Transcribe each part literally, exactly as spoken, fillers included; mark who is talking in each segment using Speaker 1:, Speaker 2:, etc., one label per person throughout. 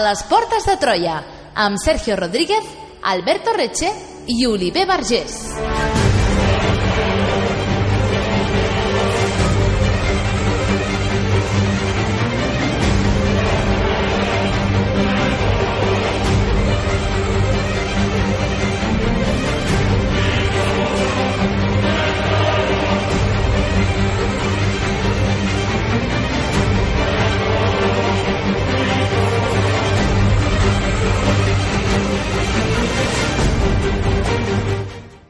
Speaker 1: les portes de Troia, amb Sergio Rodríguez, Alberto Reche i Oliver Vergés.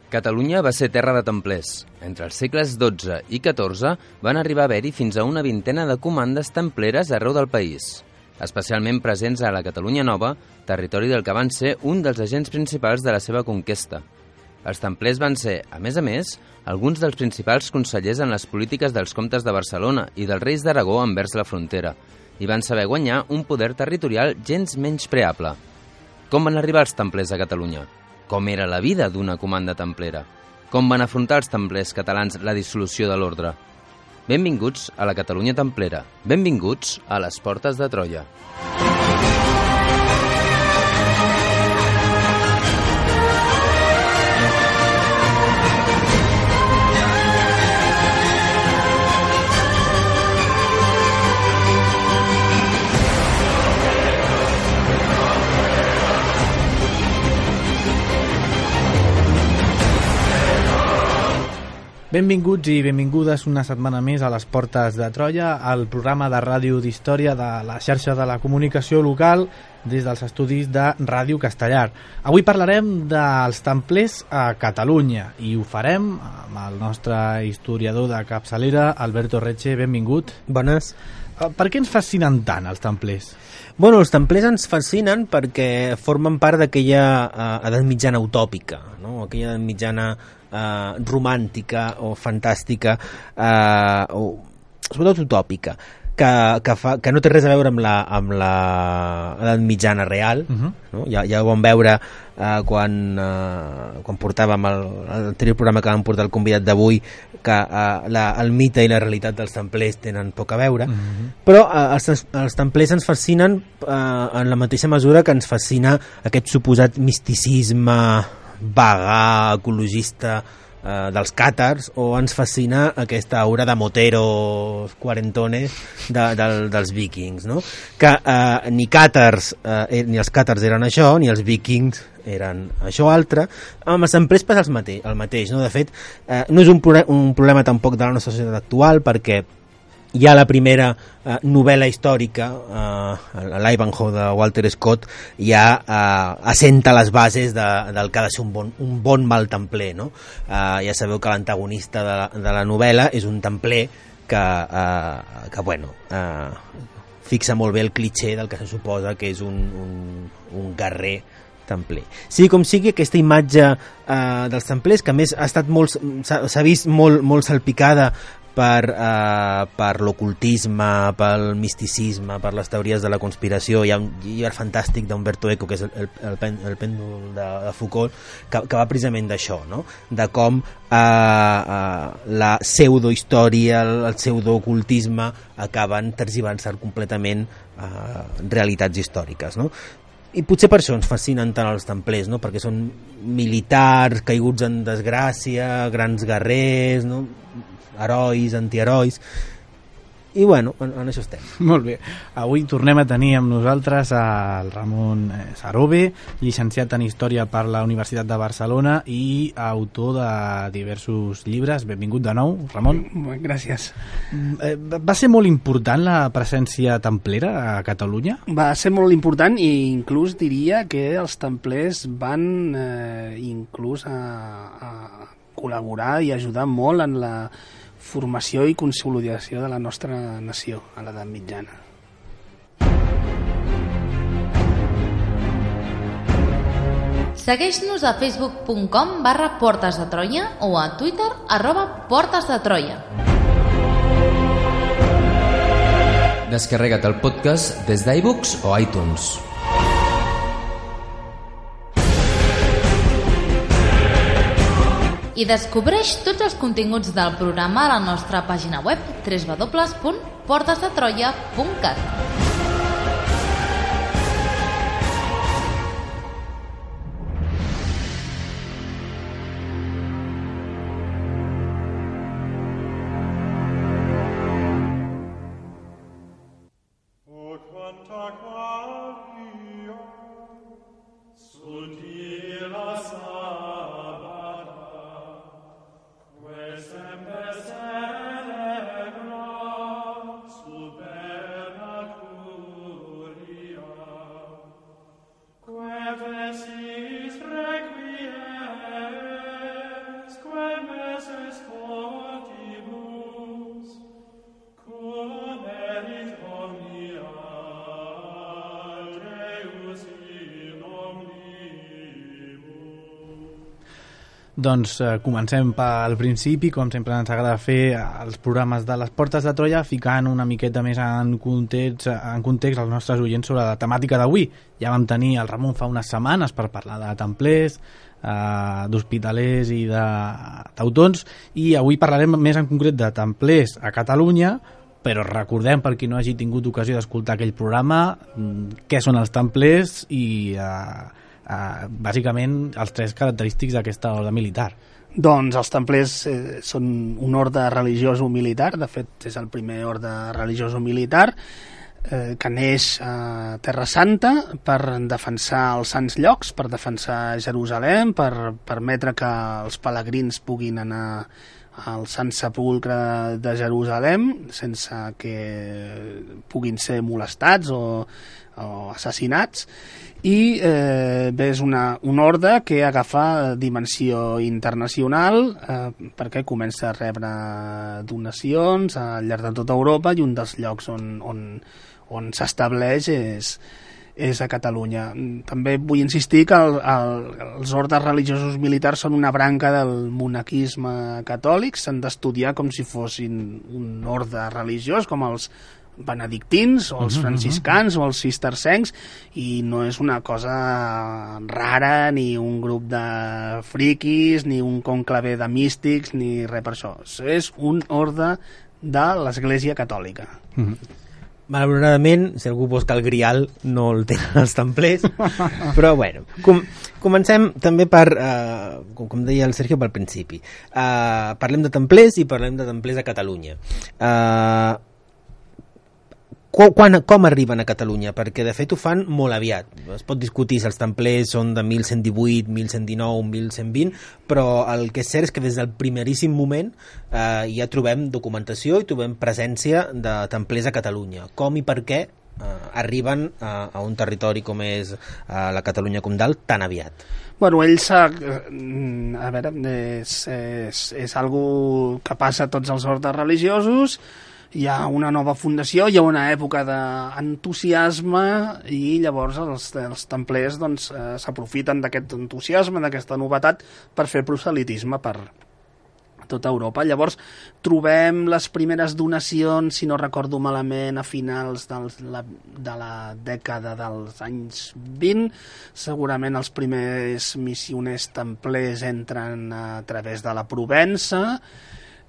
Speaker 2: Catalunya va ser terra de templers. Entre els segles dotze i catorze van arribar a haver-hi fins a una vintena de comandes templeres arreu del país, especialment presents a la Catalunya Nova, territori del que van ser un dels agents principals de la seva conquesta. Els templers van ser, a més a més, alguns dels principals consellers en les polítiques dels comtes de Barcelona i dels reis d'Aragó envers la frontera, i van saber guanyar un poder territorial gens menyspreable. Com van arribar els templers a Catalunya? Com era la vida d'una comanda templera? Com van afrontar els templers catalans la dissolució de l'ordre? Benvinguts a la Catalunya templera. Benvinguts a les portes de Troia.
Speaker 3: Benvinguts i benvingudes una setmana més a les Portes de Troia, el programa de ràdio d'història de la xarxa de la comunicació local des dels estudis de Ràdio Castellar. Avui parlarem dels templers a Catalunya i ho farem amb el nostre historiador de capçalera, Alberto Reche. Benvingut.
Speaker 4: Bones.
Speaker 3: Per què ens fascinen tant els templers?
Speaker 4: Bueno, els templers ens fascinen perquè formen part d'aquella uh, edat mitjana utòpica, no? Aquella edat mitjana Uh, romàntica o fantàstica uh, o sobretot utòpica que, que, fa, que no té res a veure amb la, amb la edat mitjana real, uh-huh. no? ja, ja ho vam veure uh, quan, uh, quan portàvem el, l'anterior programa que vam portar el convidat d'avui, que uh, la, el mite i la realitat dels templers tenen poc a veure, uh-huh. però uh, els, els templers ens fascinen uh, en la mateixa mesura que ens fascina aquest suposat misticisme vagà, ecologista eh, dels càtars, o ens fascina aquesta aura de moteros quarentones de, de, dels vikings, no? Que eh, ni càtars eh, ni els càtars eren això, ni els vikings eren això altre. Amb els templers passa el mateix, el mateix, no? De fet, eh, no és un, pro- un problema tampoc de la nostra societat actual, perquè hi ha la primera eh, novel·la històrica, eh, l'Ivanhoe de Walter Scott, ja eh, assenta les bases de, del que ha de ser un bon, un bon mal templer, no? Eh, ja sabeu que l'antagonista de, la, de la novel·la és un templer que, eh, que bueno, eh, fixa molt bé el clitxé del que se suposa que és un, un, un guerrer templer. Sigui com sigui, aquesta imatge eh, dels templers, que a més ha estat molt, s'ha, s'ha vist molt, molt salpicada per, uh, per l'ocultisme, pel misticisme, per les teories de la conspiració. Hi ha un llibre fantàstic d'Umberto Eco, que és el, el, el, pen, el pèndol de, de Foucault, que, que va precisament d'això, no? De com uh, uh, la pseudohistòria, el, el pseudoocultisme acaben tergiversant completament uh, realitats històriques, no? I potser per això ens fascinen tant els templers, no? Perquè són militars caiguts en desgràcia, grans guerrers, no? Herois, antiherois, i bueno, en, en això estem.
Speaker 3: Molt bé, avui tornem a tenir amb nosaltres el Ramon Sarobe, llicenciat en Història per la Universitat de Barcelona i autor de diversos llibres. Benvingut de nou, Ramon.
Speaker 5: Gràcies.
Speaker 3: Va ser molt important la presència templera a Catalunya?
Speaker 5: Va ser molt important, i inclús diria que els templers van eh, inclús a, a col·laborar i ajudar molt en la formació i consolidació de la nostra nació a l'edat mitjana.
Speaker 1: Segueix-nos a facebook punt com barra Portes de Troia o a Twitter arroba Portes de Troia.
Speaker 2: Descarrega't el podcast des d'iBooks o iTunes.
Speaker 1: I descobreix tots els continguts del programa a la nostra pàgina web w w w punt portes de troia punt cat.
Speaker 3: Doncs eh, comencem pel principi, com sempre ens agrada fer els programes de les Portes de Troia, ficant una miqueta més en context, en context els nostres oients sobre la temàtica d'avui. Ja vam tenir el Ramon fa unes setmanes per parlar de templers, eh, d'hospitalers i de teutons, i avui parlarem més en concret de templers a Catalunya, però recordem, per qui no hagi tingut ocasió d'escoltar aquell programa, què són els templers i eh, Uh, bàsicament els tres característics d'aquesta orde militar.
Speaker 5: Doncs els templers eh, són un orde religiós o militar, de fet és el primer orde religiós o militar eh, que neix a Terra Santa per defensar els sants llocs, per defensar Jerusalem, per permetre que els pelegrins puguin anar al Sant Sepulcre de Jerusalem sense que puguin ser molestats o, o assassinats. I eh, bé, és una, un orde que agafa dimensió internacional eh, perquè comença a rebre donacions al llarg de tota Europa, i un dels llocs on, on, on s'estableix és, és a Catalunya. També vull insistir que el, el, els ordes religiosos militars són una branca del monaquisme catòlic, s'han d'estudiar com si fossin un orde religiós, com els benedictins o els franciscans o els cistercencs, i no és una cosa rara ni un grup de friquis ni un conclave de místics ni res per això. És un orde de l'Església Catòlica.
Speaker 3: Mm-hmm.
Speaker 4: Malauradament, si algú busca el grial, no el tenen els templers, però bueno, com, comencem també per, uh, com, com deia el Sergio, pel principi. Uh, parlem de templers i parlem de templers a Catalunya. Uh, Quan, com arriben a Catalunya? Perquè de fet ho fan molt aviat. Es pot discutir si els templers són de mil cent divuit, mil cent dinou, mil cent vint, però el que és cert és que des del primeríssim moment eh, ja trobem documentació i trobem presència de templers a Catalunya. Com i per què eh, arriben a, a un territori com és eh, la Catalunya Comtal tan aviat?
Speaker 5: Bueno, ells, a veure, és, és, és algo que passa a tots els ordes religiosos. Hi ha una nova fundació, hi ha una època d'entusiasme, i llavors els, els templers doncs, eh, s'aprofiten d'aquest entusiasme, d'aquesta novetat, per fer proselitisme per tota Europa. Llavors trobem les primeres donacions, si no recordo malament, a finals dels, la, de la dècada dels anys vint. Segurament els primers missioners templers entren a través de la Provença,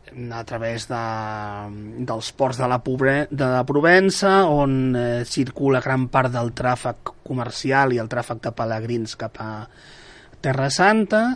Speaker 5: a través de, dels ports de la, Pobre, de la Provença, on eh, circula gran part del tràfic comercial i el tràfic de pelegrins cap a Terra Santa.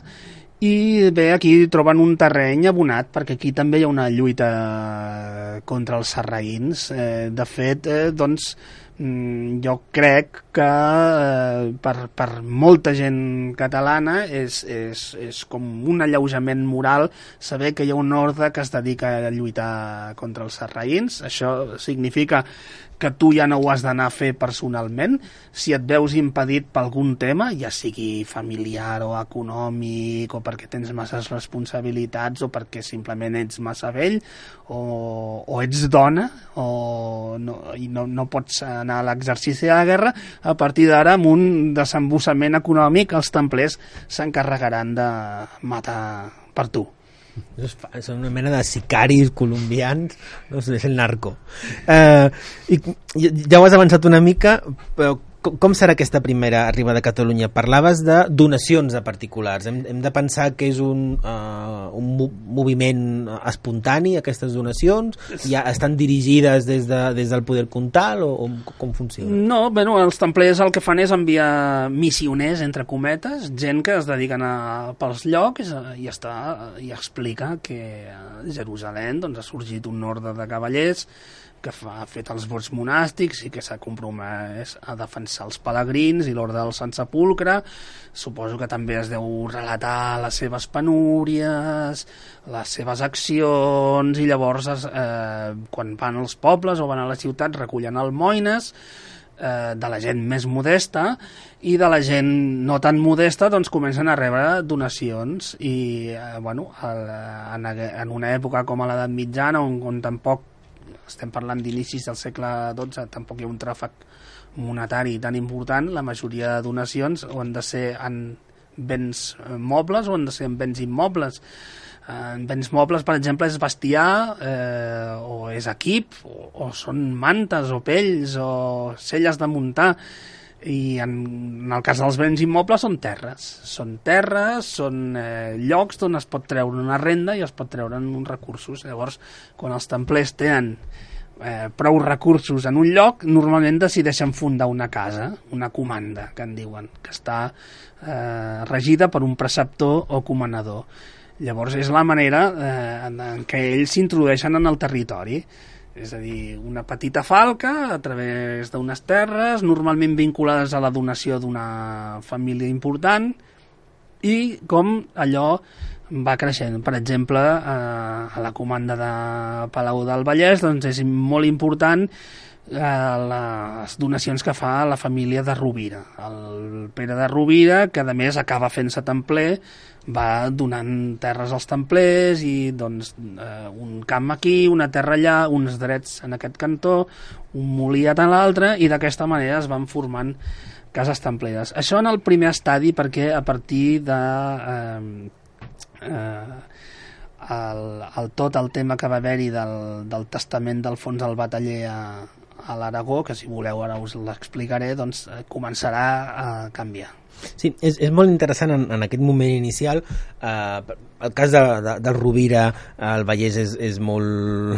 Speaker 5: I bé, aquí troben un terreny abonat, perquè aquí també hi ha una lluita contra els sarraïns. Eh, de fet, eh, doncs, jo crec que eh, per, per molta gent catalana és, és, és com un alleujament moral saber que hi ha un orde que es dedica a lluitar contra els sarraïns. Això significa que tu ja no ho has d'anar a fer personalment. Si et veus impedit per algun tema, ja sigui familiar o econòmic, o perquè tens masses responsabilitats, o perquè simplement ets massa vell, o, o ets dona, o no, i no, no pots anar a l'exercici de la guerra, a partir d'ara, amb un desembossament econòmic, els templers s'encarregaran de matar per tu.
Speaker 4: Són una mena de sicaris colombians, no sé, és el narco. Eh, i ja ho has avançat una mica, però com, com serà aquesta primera arribada a Catalunya? Parlaves de donacions de particulars. Hem, hem de pensar que és un, uh, un moviment espontani, aquestes donacions? Ja estan dirigides des, de, des del poder comtal, o, o com funciona?
Speaker 5: No, bueno, els templers el que fan és enviar missioners, entre cometes, gent que es dediquen a, pels llocs, i està, i explica que a Jerusalem doncs, ha sorgit un orde de cavallers que fa, ha fet els vots monàstics i que s'ha compromès a defensar els pelegrins i l'ordre del Sant Sepulcre. Suposo que també es deu relatar les seves penúries, les seves accions, i llavors eh, quan van als pobles o van a la ciutat recullen almoines eh, de la gent més modesta, i de la gent no tan modesta doncs comencen a rebre donacions. I eh, bueno, el, en, en una època com a l'edat mitjana, on, on tampoc estem parlant d'inicis del segle dotze, tampoc hi ha un tràfic monetari tan important, la majoria de donacions han de ser, han, béns mobles o han de ser béns immobles. En béns mobles, per exemple, és bestiar, eh, o és equip, o, o són mantes, o pells, o celles de muntar. I en, en el cas dels béns immobles són terres. Són terres, són eh, llocs d'on es pot treure una renda i es pot treure uns recursos. Llavors, quan els templers tenen eh, prou recursos en un lloc, normalment decideixen fundar una casa, una comanda, que en diuen, que està eh, regida per un preceptor o comanador. Llavors és la manera eh, en, en què ells s'introdueixen en el territori. És a dir, una petita falca a través d'unes terres, normalment vinculades a la donació d'una família important, i com allò va creixent. Per exemple, eh, a la comanda de Palau del Vallès, doncs és molt important eh, les donacions que fa la família de Rovira. El Pere de Rovira, que a més acaba fent-se templer, va donant terres als templers i doncs eh, un camp aquí, una terra allà, uns drets en aquest cantó, un molí a l'altre, i d'aquesta manera es van formant cases templeres. Això en el primer estadi, perquè a partir de eh, eh, el, el, tot el tema que va haver-hi del, del testament d'Alfons el Bataller a, a l'Aragó, que si voleu ara us l'explicaré, doncs eh, començarà a canviar.
Speaker 4: Sí, és, és molt interessant en, en aquest moment inicial. Eh, el cas de, de, de Rovira al Vallès és, és molt,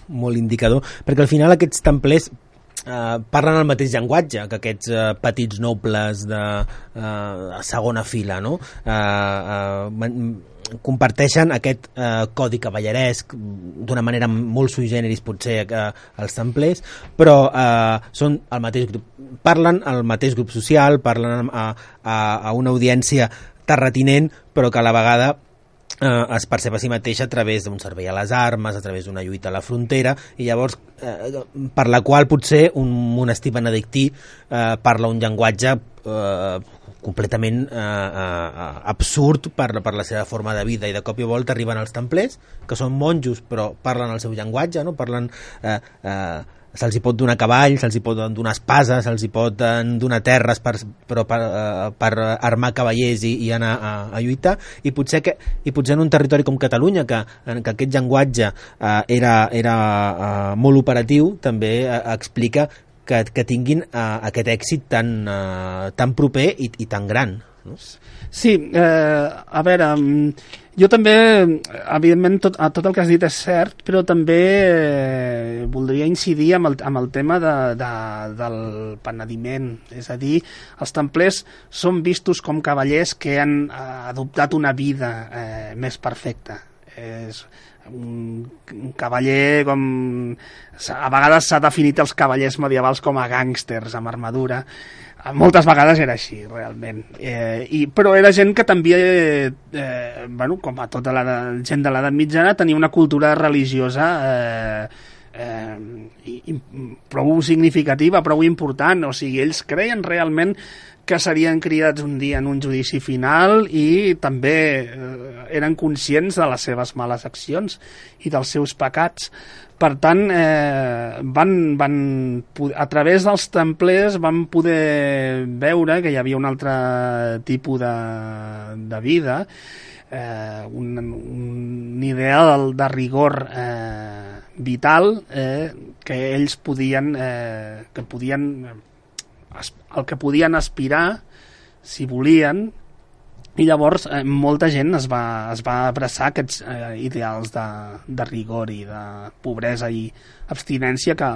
Speaker 4: molt indicador, perquè al final aquests templers eh, parlen el mateix llenguatge que aquests eh, petits nobles de eh, segona fila, no? Eh, eh, comparteixen aquest eh, codi cavalleresc d'una manera molt sui generis potser eh, els templers, però eh, són el mateix grup, parlen al mateix grup social, parlen a, a, a una audiència terratinent, però que a la vegada eh, es percep a si mateix a través d'un servei a les armes, a través d'una lluita a la frontera, i llavors eh, per la qual potser un monestir benedictí eh, parla un llenguatge eh, completament eh, eh, absurd per, per la seva forma de vida, i de cop i volta arriben els templers, que són monjos però parlen el seu llenguatge, no? Parlen eh, eh, se'ls hi pot donar cavall, se'ls hi pot donar espases, se'ls hi pot donar terres per, però per, uh, per armar cavallers i, i anar a, a lluitar, i potser, que, i potser en un territori com Catalunya, que, en que aquest llenguatge uh, era, era uh, molt operatiu, també uh, explica que, que tinguin uh, aquest èxit tan, uh, tan proper i, i tan gran, no?
Speaker 5: Sí, eh, a veure, jo també, evidentment, tot, tot el que has dit és cert, però també eh, voldria incidir amb el, amb el tema de, de, del penediment. És a dir, els templers són vistos com cavallers que han eh, adoptat una vida eh, més perfecta. És un, un cavaller com... A vegades s'ha definit els cavallers medievals com a gàngsters amb armadura. Moltes vegades era així, realment. Eh, i, però era gent que també, eh, bueno, com a tota la gent de l'edat mitjana, tenia una cultura religiosa eh, eh, i, i prou significativa, prou important. O sigui, ells creien realment que serien cridats un dia en un judici final, i també eh, eren conscients de les seves males accions i dels seus pecats. Per tant, eh, van, van, a través dels templers van poder veure que hi havia un altre tipus de, de vida, eh, un, un ideal de rigor eh, vital eh, que ells podien, eh, que podien, el que podien aspirar si volien. I llavors eh, molta gent es va, es va abraçar aquests eh, ideals de, de rigor i de pobresa i abstinència, que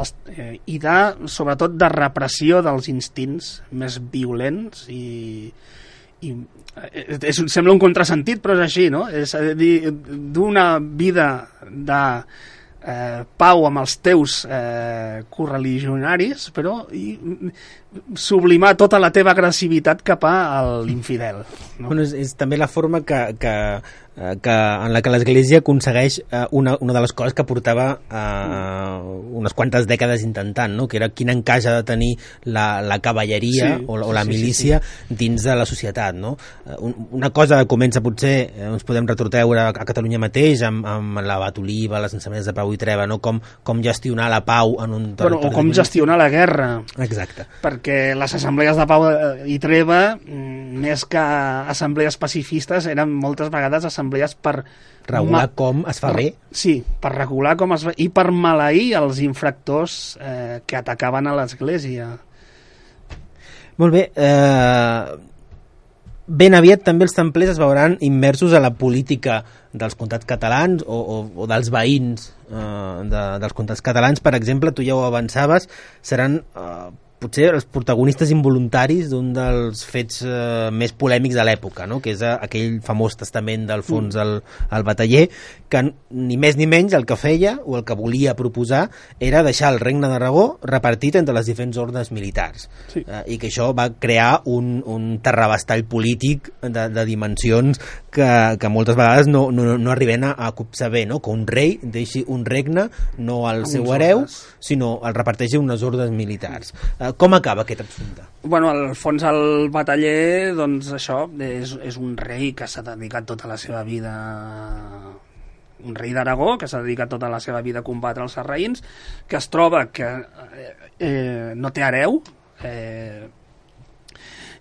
Speaker 5: els, eh, i de, sobretot de repressió dels instints més violents, i, i eh, és, sembla un contrasentit, però és així, no? És a dir, d'una vida de eh, pau amb els teus eh, correligionaris, però i, sublimar tota la teva agressivitat cap a l'infidel, no?
Speaker 4: Bueno, és, és també la forma que, que, que, en la que l'Església aconsegueix una, una de les coses que portava eh, unes quantes dècades intentant, no? Que era quin encaix ha de tenir la, la cavalleria, sí, o, o la milícia, sí, sí, sí, dins de la societat, no? Una cosa que comença potser, eh, ens podem retroteure a Catalunya mateix amb, amb l'abat Oliva, les ensenyaments de Pau i Treva, no? Com, com gestionar la pau en un territori.
Speaker 5: Però, o com gestionar la guerra.
Speaker 4: Exacte.
Speaker 5: Perquè les assemblees de Pau i Treva, més que assemblees pacifistes, eren moltes vegades assemblees per...
Speaker 4: Regular com es fa bé.
Speaker 5: Sí, per regular com es fa i per maleir els infractors eh, que atacaven a l'Església.
Speaker 4: Molt bé, eh... ben aviat també els templers es veuran immersos a la política dels comtats catalans o, o, o dels veïns eh, de, dels comtats catalans. Per exemple, tu ja ho avançaves, seran eh, potser els protagonistes involuntaris d'un dels fets eh, més polèmics de l'època, no? Que és eh, aquell famós testament d'Alfons el, el Bataller, que ni més ni menys el que feia o el que volia proposar era deixar el regne d'Aragó repartit entre les diferents ordres militars. Sí. Eh, i que això va crear un, un terrabastall polític de, de dimensions que, que moltes vegades no, no, no arriben a, a copsar bé, no? Que un rei deixi un regne no al seu hereu, sinó el reparteixi unes ordres militars. Eh, com acaba aquest assumpte?
Speaker 5: Bueno, Alfons el Bataller, doncs això, és, és un rei que s'ha dedicat tota la seva vida, un rei d'Aragó, que s'ha dedicat tota la seva vida a combatre els sarraïns, que es troba que eh, eh, no té hereu, eh,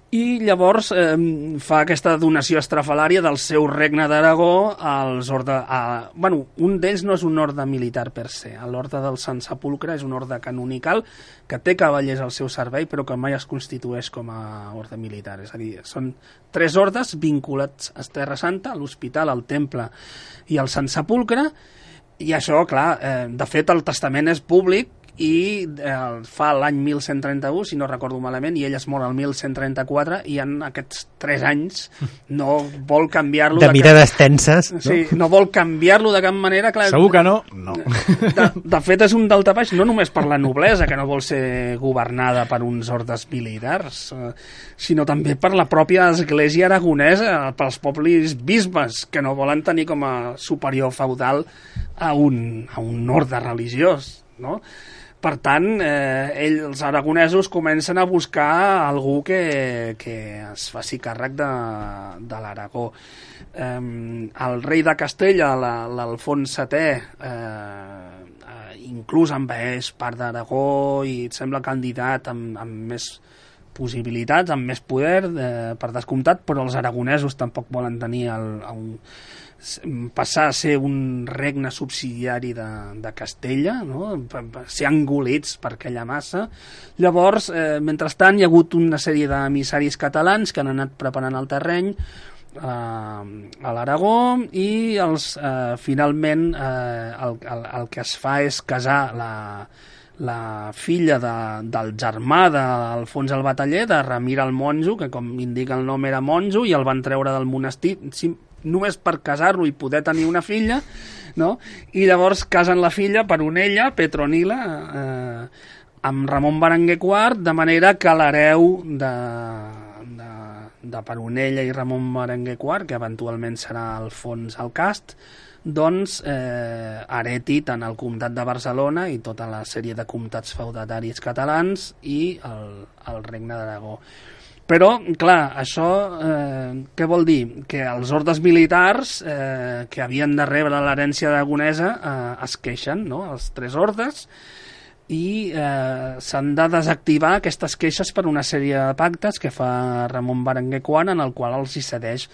Speaker 5: i llavors eh, fa aquesta donació estrafalària del seu regne d'Aragó als orde... A, bueno, un d'ells no és un orde militar per se. L'orde del Sant Sepulcre és un orde canonical que té cavallers al seu servei però que mai es constitueix com a orde militar. És a dir, són tres ordes vinculats a Terra Santa, a l'Hospital, al Temple i al Sant Sepulcre, i això, clar, eh, de fet el testament és públic i eh, fa l'any mil cent trenta-u, si no recordo malament, i ell es mor el mil cent trenta-quatre, i en aquests tres anys no vol canviar-lo...
Speaker 4: De, de mirades cap... tenses, no?
Speaker 5: Sí, no vol canviar-lo de cap manera. Clar,
Speaker 3: segur que no? No.
Speaker 5: De, de fet, és un daltabaix no només per la noblesa, que no vol ser governada per uns ordes militars, eh, sinó també per la pròpia església aragonesa, pels pobles bisbes, que no volen tenir com a superior feudal a un, a un orde religiós, no? Per tant, eh, ells, els aragonesos, comencen a buscar algú que, que es faci càrrec de, de l'Aragó. Eh, el rei de Castella, l'Alfons setè, eh, eh, inclús envaeix part d'Aragó i et sembla candidat amb, amb més possibilitats, amb més poder, eh, per descomptat, però els aragonesos tampoc volen tenir el, el, passar a ser un regne subsidiari de, de Castella, no? Ser engolits per aquella massa. Llavors, eh, mentrestant, hi ha hagut una sèrie d'emissaris catalans que han anat preparant el terreny eh, a l'Aragó i els, eh, finalment eh, el, el, el que es fa és casar la, la filla de, del germà d'Alfons el Bataller, de Ramir el Monjo, que com indica el nom era monjo, i el van treure del monestir només per casar-lo i poder tenir una filla, no? I llavors casen la filla per Onella, Petronila, eh, amb Ramon Berenguer quart, de manera que l'hereu de, de, de Peronella i Ramon Berenguer quart, que eventualment serà Alfons el Cast, doncs eh, hereti tant el comtat de Barcelona i tota la sèrie de comtats feudataris catalans i el, el regne d'Aragó. Però, clar, això eh, què vol dir? Que els ordes militars eh, que havien de rebre l'herència aragonesa eh, es queixen, no?, els tres ordes, i eh, s'han de desactivar aquestes queixes per una sèrie de pactes que fa Ramon Berenguer quart, en el qual els hi cedeix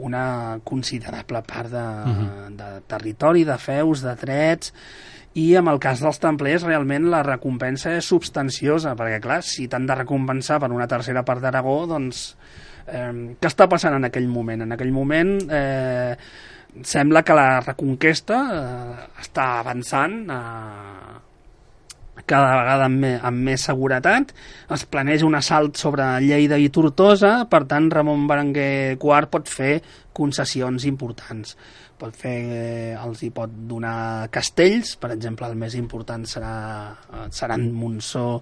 Speaker 5: una considerable part de, uh-huh. de territori, de feus, de drets, i en el cas dels templers realment la recompensa és substanciosa, perquè clar, si t'han de recompensar per una tercera part d'Aragó, doncs eh, què està passant en aquell moment? En aquell moment eh, sembla que la reconquesta eh, està avançant eh, cada vegada amb, me, amb més seguretat, es planeja un assalt sobre Lleida i Tortosa, per tant Ramon Berenguer quart pot fer concessions importants. Pot fer, eh, els hi pot donar castells, per exemple el més important serà, seran Montsó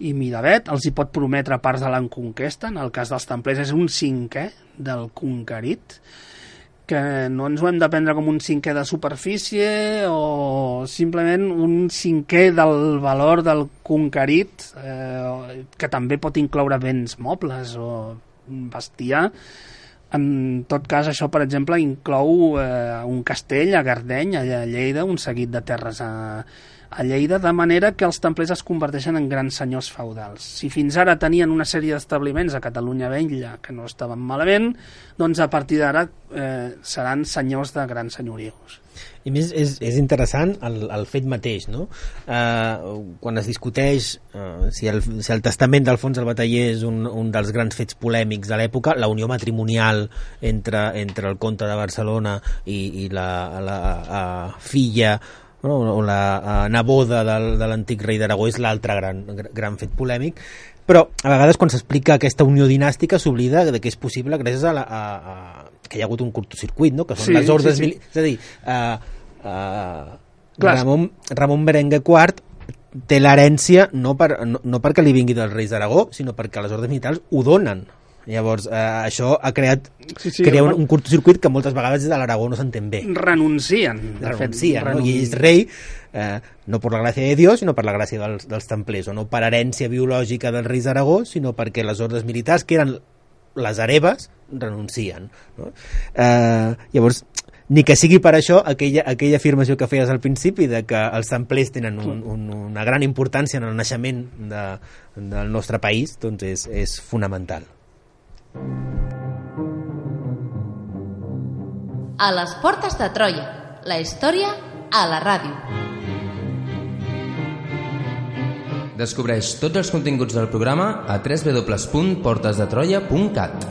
Speaker 5: i Miravet, els hi pot prometre parts de la conquesta, en el cas dels templers és un cinquè del conquerit, que no ens ho hem de prendre com un cinquè de superfície o simplement un cinquè del valor del conquerit, eh, que també pot incloure béns mobles o bestiar. En tot cas, això, per exemple, inclou eh, un castell a Gardeny, allà a Lleida, un seguit de terres a, a Lleida, de manera que els templers es converteixen en grans senyors feudals. Si fins ara tenien una sèrie d'establiments a Catalunya Vella que no estaven malament, doncs a partir d'ara eh, seran senyors de grans senyorius.
Speaker 4: I més és, és interessant el, el fet mateix, no? Eh, quan es discuteix eh, si, el, si el testament d'Alfons el Bataller és un, un dels grans fets polèmics de l'època, la unió matrimonial entre, entre el comte de Barcelona i, i la, la a, filla no? o la a, neboda del, de l'antic rei d'Aragó és l'altre gran, gran fet polèmic, però a vegades quan s'explica aquesta unió dinàstica s'oblida de que és possible gràcies a, la, a, a que hi ha hagut un curtocircuit, no? Que són sí, les ordres sí, sí. Mil... És a dir, uh, uh, Ramon, Ramon Berenguer quart té l'herència no, per, no, no perquè li vingui dels reis d'Aragó, sinó perquè les ordres militars ho donen. Llavors, eh, això ha creat sí, sí, crea un, un curtocircuit que moltes vegades des de l'Aragó no s'entén bé.
Speaker 5: Renuncien.
Speaker 4: Renuncien, renun... no? I és rei eh, no per la gràcia de Dios, sinó per la gràcia dels, dels templers, o no per herència biològica dels reis d'Aragó, sinó perquè les ordres militars, que eren les hereves, renuncien. No? Eh, llavors, ni que sigui per això, aquella, aquella afirmació que feies al principi de que els templers tenen un, un, una gran importància en el naixement de, del nostre país, doncs és, és fonamental.
Speaker 1: A les portes de Troia, la història a la ràdio.
Speaker 2: Descobreix tots els continguts del programa a w w w punt portes de troia punt cat.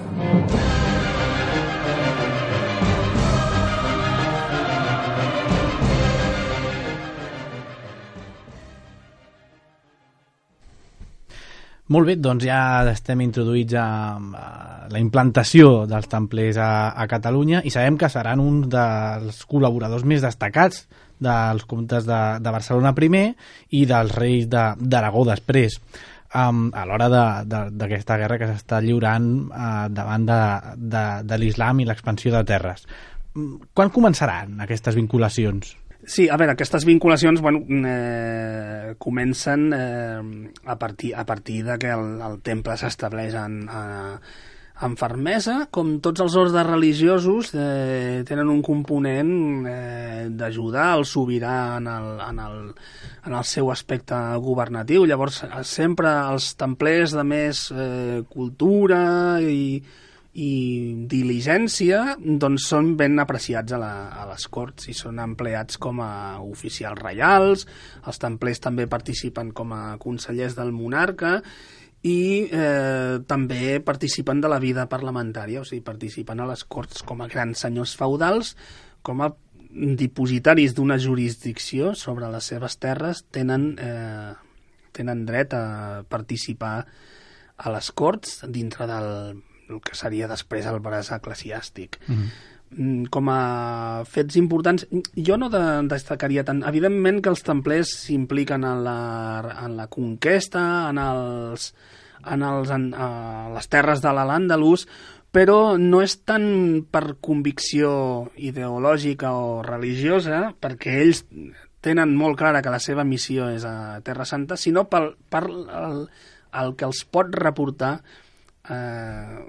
Speaker 3: Molt bé, doncs ja estem introduïts a, a la implantació dels templers a, a Catalunya i sabem que seran un dels col·laboradors més destacats dels comtes de, de Barcelona primer i dels reis d'Aragó després, um, a l'hora d'aquesta guerra que s'està lliurant uh, davant de, de, de l'islam i l'expansió de terres. Quan començaran aquestes vinculacions?
Speaker 5: Sí, a veure, aquestes vinculacions bueno, eh, comencen eh, a partir, a partir de que el, el temple s'estableix en, en fermesa, com tots els ordres religiosos eh, tenen un component eh, d'ajudar el sobirà en el, en, el, en el seu aspecte governatiu. Llavors, sempre els templers de més eh, cultura i i diligència doncs són ben apreciats a, la, a les corts i són empleats com a oficials reials. Els templers també participen com a consellers del monarca i eh, també participen de la vida parlamentària, o sigui, participen a les corts com a grans senyors feudals, com a dipositaris d'una jurisdicció sobre les seves terres, tenen, eh, tenen dret a participar a les corts dintre del el que seria després el braç eclesiàstic. Mm-hmm. Com a fets importants, jo no de, destacaria tant. Evidentment que els templers s'impliquen en la, en la conquesta, en, els, en, els, en a les terres de l'Al-Àndalus, però no és tant per convicció ideològica o religiosa, perquè ells tenen molt clara que la seva missió és a Terra Santa, sinó per, per el, el que els pot reportar Eh,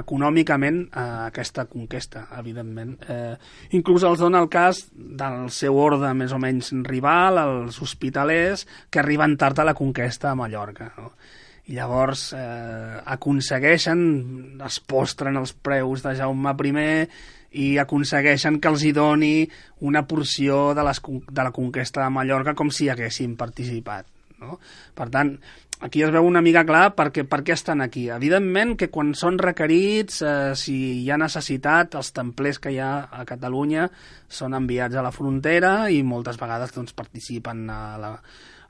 Speaker 5: econòmicament a aquesta conquesta, evidentment. Eh, inclús els dona el cas del seu orde més o menys rival, els hospitalers, que arriben tard a la conquesta a Mallorca, no? I llavors eh, aconsegueixen, es postren els preus de Jaume primer i aconsegueixen que els hi doni una porció de, les, de la conquesta de Mallorca com si haguessin participat, no? Per tant, aquí es veu una mica clar perquè, per què estan aquí. Evidentment que quan són requerits, eh, si hi ha necessitat, els templers que hi ha a Catalunya són enviats a la frontera i moltes vegades doncs, participen a la,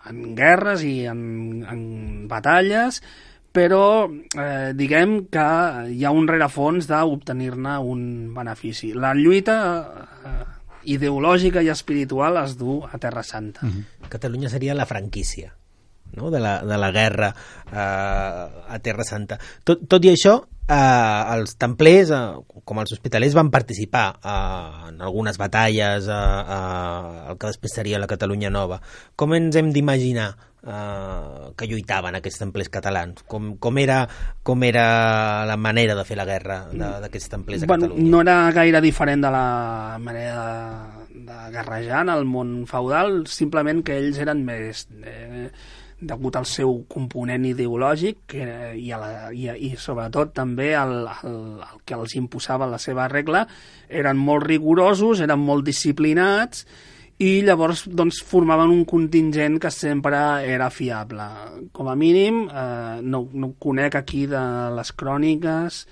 Speaker 5: en guerres i en, en batalles, però eh, diguem que hi ha un rerefons d'obtenir-ne un benefici. La lluita eh, ideològica i espiritual es du a Terra Santa.
Speaker 4: Mm-hmm. Catalunya seria la franquícia, no? de, la, de la guerra eh, a Terra Santa. Tot, tot i això, eh, els templers, eh, com els hospitalers, van participar eh, en algunes batalles, eh, eh, el que després seria la Catalunya Nova. Com ens hem d'imaginar eh, que lluitaven aquests templers catalans? Com, com, era, com era la manera de fer la guerra d'aquests templers a
Speaker 5: bueno,
Speaker 4: Catalunya?
Speaker 5: No era gaire diferent de la manera de de guerrejar en el món feudal, simplement que ells eren més... Eh, degut al seu component ideològic que, i, a la, i, i sobretot també el, el, el que els imposava la seva regla, eren molt rigorosos, eren molt disciplinats i llavors doncs, formaven un contingent que sempre era fiable. Com a mínim, eh, no, no conec aquí de les cròniques,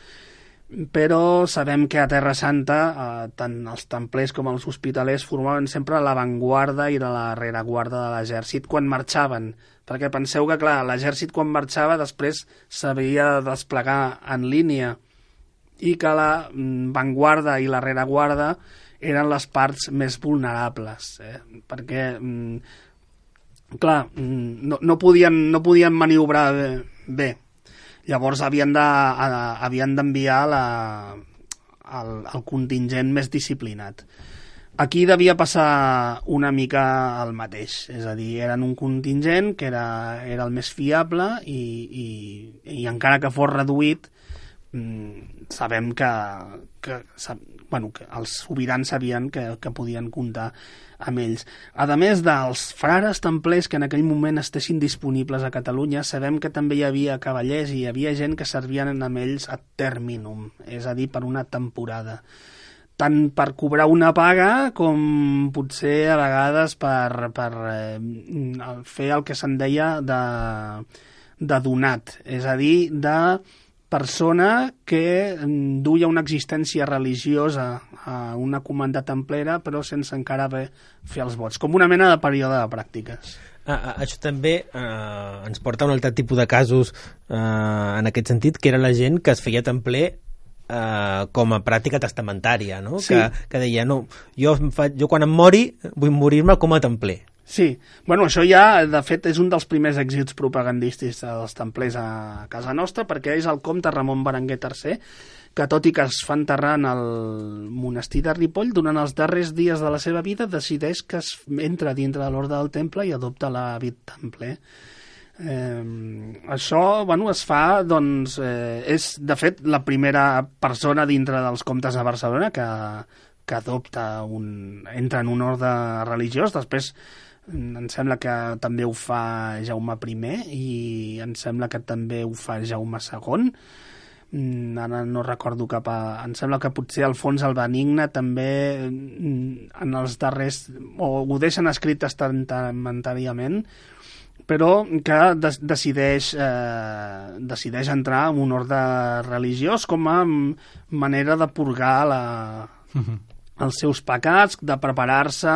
Speaker 5: però sabem que a Terra Santa eh, tant els templers com els hospitalers formaven sempre l'avantguarda i la rereguarda de l'exèrcit quan marxaven, perquè penseu que clar, l'exèrcit quan marxava després s'havia de desplegar en línia i que la vanguarda i la rereguarda eren les parts més vulnerables, eh? perquè clar, no, no, podien, no podien maniobrar bé, bé. Llavors havien de, havien d'enviar la, el, el contingent més disciplinat. Aquí devia passar una mica el mateix, és a dir, eren un contingent que era, era el més fiable i, i, i encara que fos reduït, sabem que, que, bueno, que els sobirans sabien que, que podien comptar amb ells. A més dels frares templers que en aquell moment estessin disponibles a Catalunya, sabem que també hi havia cavallers i hi havia gent que servien amb ells a terminum, és a dir, per una temporada. Tant per cobrar una paga com potser a vegades per, per eh, fer el que se'n deia de, de donat, és a dir, de persona que duia una existència religiosa a una comanda templera però sense encara haver fer els vots, com una mena de període de pràctiques.
Speaker 4: Ah, això també eh, ens porta a un altre tipus de casos eh, en aquest sentit, que era la gent que es feia templer eh, com a pràctica testamentària, no?
Speaker 5: Sí.
Speaker 4: que, que deia, no, jo, fa, jo quan em mori vull morir-me com a templer.
Speaker 5: Sí, bueno, això ja, de fet, és un dels primers èxits propagandístics dels templers a casa nostra, perquè és el comte Ramon Berenguer tercer, que tot i que es fa enterrar en el monestir de Ripoll, durant els darrers dies de la seva vida decideix que es entra dintre de l'ordre del temple i adopta l'hàbit templer. Eh, això, bueno, es fa, doncs, eh, és, de fet, la primera persona dintre dels comtes de Barcelona que, que adopta un, entra en un ordre religiós. Després em sembla que també ho fa Jaume primer i em sembla que també ho fa Jaume segon. Ara no recordo cap a... Em sembla que potser Alfons el Benigne també en els darrers... o ho deixen escrit testamentàriament, però que de decideix, eh, decideix entrar en un ordre religiós com a manera de purgar la... Uh-huh. els seus pecats, de preparar-se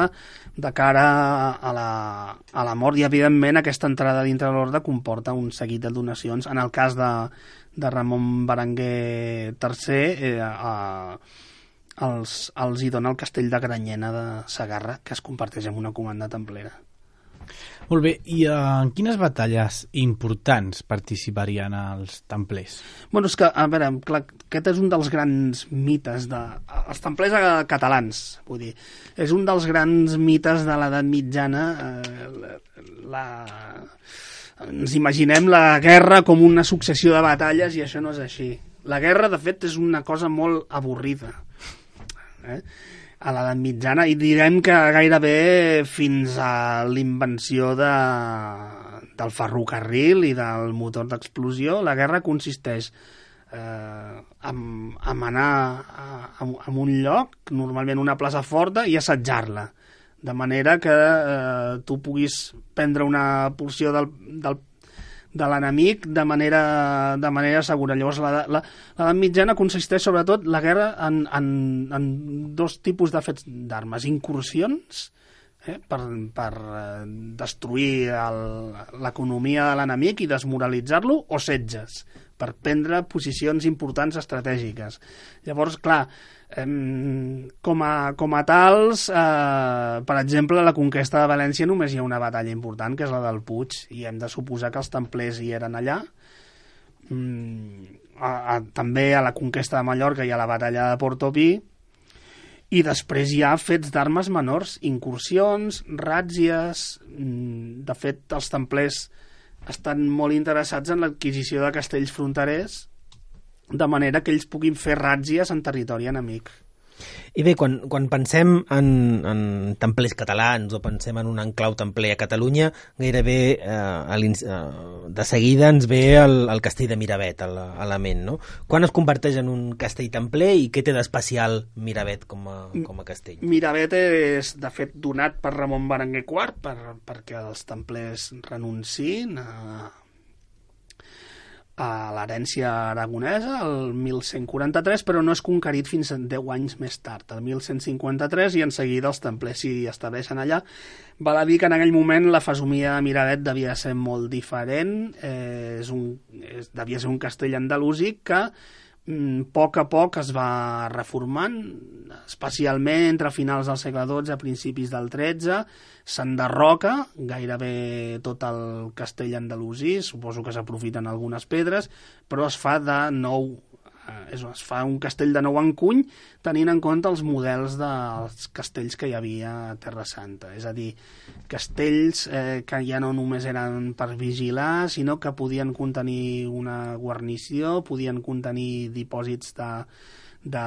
Speaker 5: de cara a la, a la mort, i evidentment aquesta entrada dintre l'ordre comporta un seguit de donacions. En el cas de, de Ramon Berenguer tercer eh, a, els, els hi dona el castell de Granyena de Segarra, que es comparteix amb una comanda templera.
Speaker 3: Molt bé, i en quines batalles importants participarien els templers?
Speaker 5: Bueno, és que, a veure, clar, aquest és un dels grans mites de... Els templers catalans, vull dir, és un dels grans mites de l'edat mitjana. Eh, la... Ens imaginem la guerra com una successió de batalles i això no és així. La guerra, de fet, és una cosa molt avorrida. Eh? A l'edat mitjana, i direm que gairebé fins a l'invenció de, del ferrocarril i del motor d'explosió, la guerra consisteix eh, en, en anar a, a, a un lloc, normalment una plaça forta, i assetjar-la, de manera que eh, tu puguis prendre una porció del, del de l'enemic de manera, de manera segura. Llavors, l'edat mitjana consisteix sobretot la guerra en, en, en dos tipus de fets d'armes. Incursions, eh, per, per destruir l'economia de l'enemic i desmoralitzar-lo, o setges, per prendre posicions importants estratègiques. Llavors, clar, eh, com, a, com a tals, eh, per exemple, a la conquesta de València només hi ha una batalla important, que és la del Puig, i hem de suposar que els templers hi eren allà. Mm, a, a, també a la conquesta de Mallorca hi ha la batalla de Portopí, i després hi ha fets d'armes menors, incursions, ràtzies. Mm, de fet, els templers estan molt interessats en l'adquisició de castells fronterers, de manera que ells puguin fer ràtzies en territori enemic.
Speaker 4: I bé, quan, quan pensem en, en templers catalans o pensem en un enclau templer a Catalunya, gairebé eh, a eh, de seguida ens ve el, el castell de Miravet a la, a la ment, no? Quan es converteix en un castell templer i què té d'especial Miravet com a, com a castell?
Speaker 5: Miravet és, de fet, donat per Ramon Berenguer quart per, perquè els templers renunciïn a a l'herència aragonesa, el mil cent quaranta-tres, però no és conquerit fins a deu anys més tard, el mil cent cinquanta-tres, i en seguida els templers s'hi estableixen allà. Val a dir que en aquell moment la fesomia de Miravet devia ser molt diferent, eh, és un, és, devia ser un castell andalusí que a poc a poc es va reformant, especialment entre finals del segle dotze a principis del tretze, s'enderroca gairebé tot el castell andalusí, suposo que s'aprofiten algunes pedres, però es fa de nou, eh, es fa un castell de nou encuny, tenint en compte els models dels castells que hi havia a Terra Santa, és a dir, castells eh, que ja no només eren per vigilar, sinó que podien contenir una guarnició, podien contenir dipòsits de, de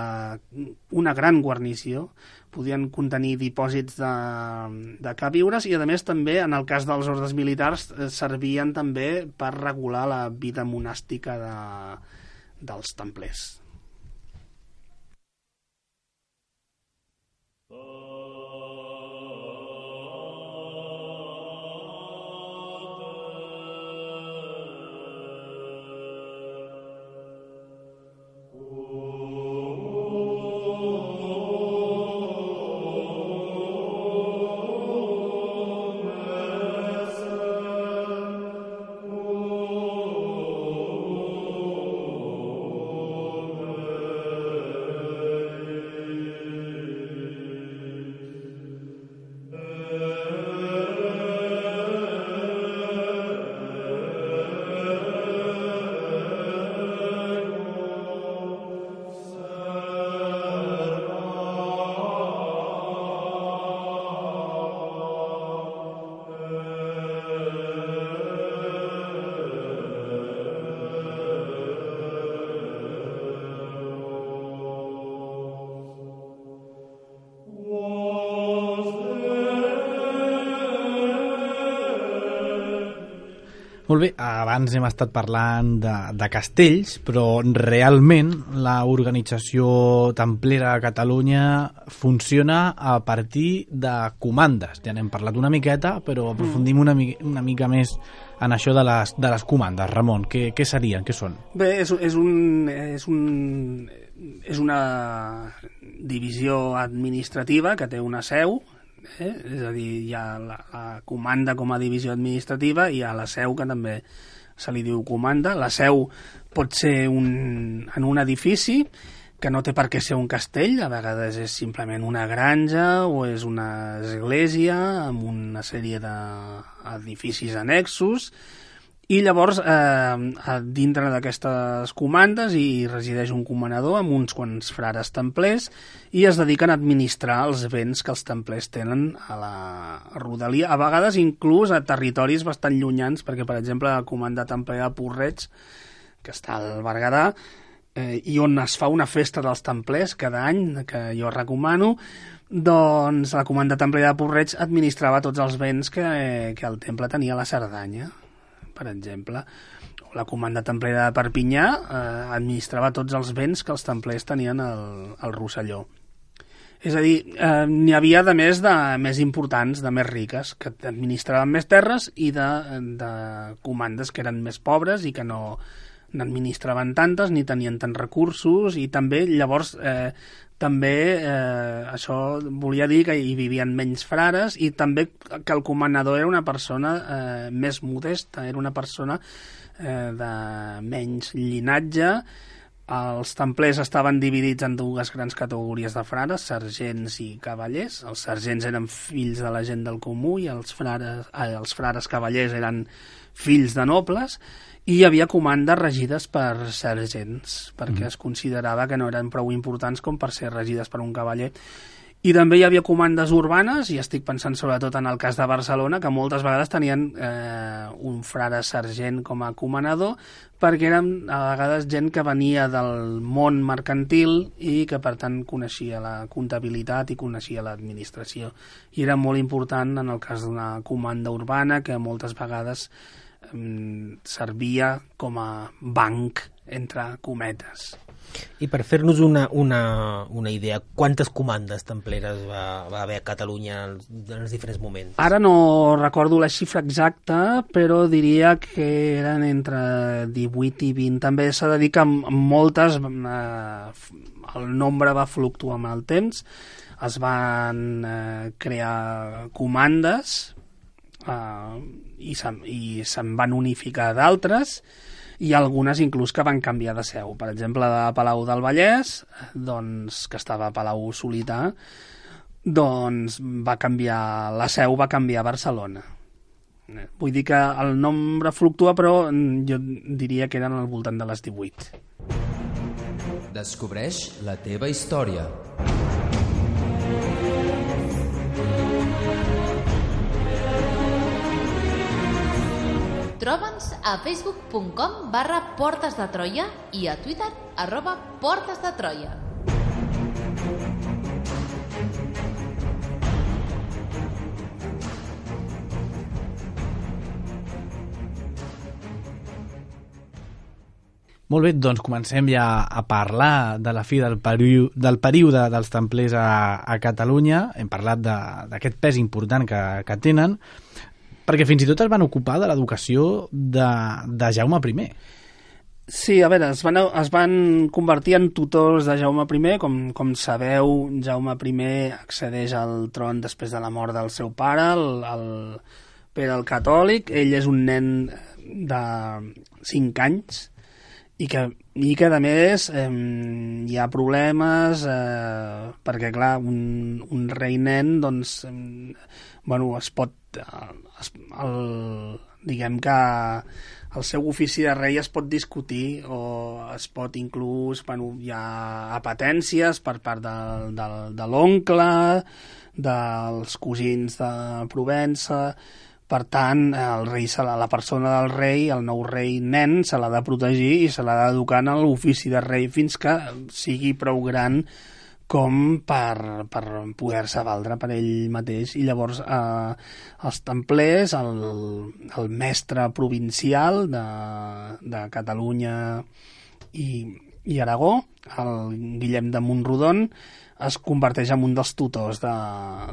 Speaker 5: una gran guarnició, podien contenir dipòsits de, de queviures i, a més, també, en el cas dels ordes militars, eh, servien també per regular la vida monàstica de, dels templers.
Speaker 3: Molt bé, abans hem estat parlant de, de castells, però realment l'organització templera a Catalunya funciona a partir de comandes. Ja n'hem parlat una miqueta, però aprofundim una, mi una mica més en això de les, de les comandes. Ramon, què, què serien, què són?
Speaker 5: Bé, és, és, un, és, un, és una divisió administrativa que té una seu, Eh? és a dir, hi ha la, la comanda com a divisió administrativa i hi ha la seu, que també se li diu comanda. La seu pot ser un, en un edifici que no té per què ser un castell, a vegades és simplement una granja o és una església amb una sèrie d'edificis annexos, i llavors eh, dintre d'aquestes comandes hi resideix un comanador amb uns quants frares templers i es dediquen a administrar els béns que els templers tenen a la rodalia, a vegades inclús a territoris bastant llunyans, perquè, per exemple, la comanda templera de Porreig, que està al Berguedà, eh, i on es fa una festa dels templers cada any, que jo recomano, doncs la comanda templera de Porreig administrava tots els béns que, que el temple tenia a la Cerdanya, per exemple. La comanda templera de Perpinyà eh, administrava tots els béns que els templers tenien al, al Rosselló. És a dir, eh, n'hi havia de més, de més importants, de més riques, que administraven més terres, i de, de comandes que eren més pobres i que no n'administraven tantes ni tenien tants recursos, i també llavors eh, també eh, això volia dir que hi vivien menys frares, i també que el comanador era una persona eh, més modesta, era una persona eh, de menys llinatge. Els templers estaven dividits en dues grans categories de frares, sergents i cavallers. Els sergents eren fills de la gent del comú i els frares, eh, els frares cavallers eren fills de nobles, i hi havia comandes regides per sergents, perquè mm. es considerava que no eren prou importants com per ser regides per un cavaller. I també hi havia comandes urbanes, i estic pensant sobretot en el cas de Barcelona, que moltes vegades tenien eh, un frare sergent com a comanador, perquè eren a vegades gent que venia del món mercantil i que per tant coneixia la comptabilitat i coneixia l'administració. I era molt important en el cas d'una comanda urbana que moltes vegades eh, servia com a banc, entre cometes.
Speaker 4: I per fer-nos una, una, una idea, quantes comandes templeres va, va haver a Catalunya en els, en els diferents moments?
Speaker 5: Ara no recordo la xifra exacta, però diria que eren entre divuit i vint. També s'ha de dir que amb moltes eh, el nombre va fluctuar amb el temps, es van eh, crear comandes eh, i se'n i se'n van unificar d'altres, i algunes inclús que van canviar de seu. Per exemple, de Palau del Vallès, doncs, que estava a Palau Solità, doncs va canviar, la seu va canviar a Barcelona. Vull dir que el nombre fluctua, però jo diria que eren al voltant de les divuit.
Speaker 6: Descobreix la teva història.
Speaker 1: Troba'ns a facebook punt com barra Portes de Troia i a Twitter arroba Portes de Troia.
Speaker 3: Molt bé, doncs comencem ja a parlar de la fi del, període, del període dels templers a, a Catalunya. Hem parlat d'aquest pes important que, que tenen, perquè fins i tot es van ocupar de l'educació de, de Jaume primer.
Speaker 5: Sí, a veure, es van, es van convertir en tutors de Jaume primer. Com, com sabeu, Jaume primer accedeix al tron després de la mort del seu pare, el, el Pere el Catòlic. Ell és un nen de cinc anys, i que, i que a més eh, hi ha problemes eh, perquè clar, un, un rei nen doncs, eh, bueno, es pot eh, es, el, diguem que el seu ofici de rei es pot discutir, o es pot inclús, bueno, hi ha apetències per part de, de, de l'oncle, dels cosins de Provença. Per tant, el rei, la persona del rei, el nou rei nen, se l'ha de protegir i se l'ha d'educar en l'ofici de rei fins que sigui prou gran com per, per poder-se valdre per ell mateix. I llavors eh, els templers, el, el mestre provincial de, de Catalunya i, i Aragó, el Guillem de Montrodon, es converteix en un dels tutors de,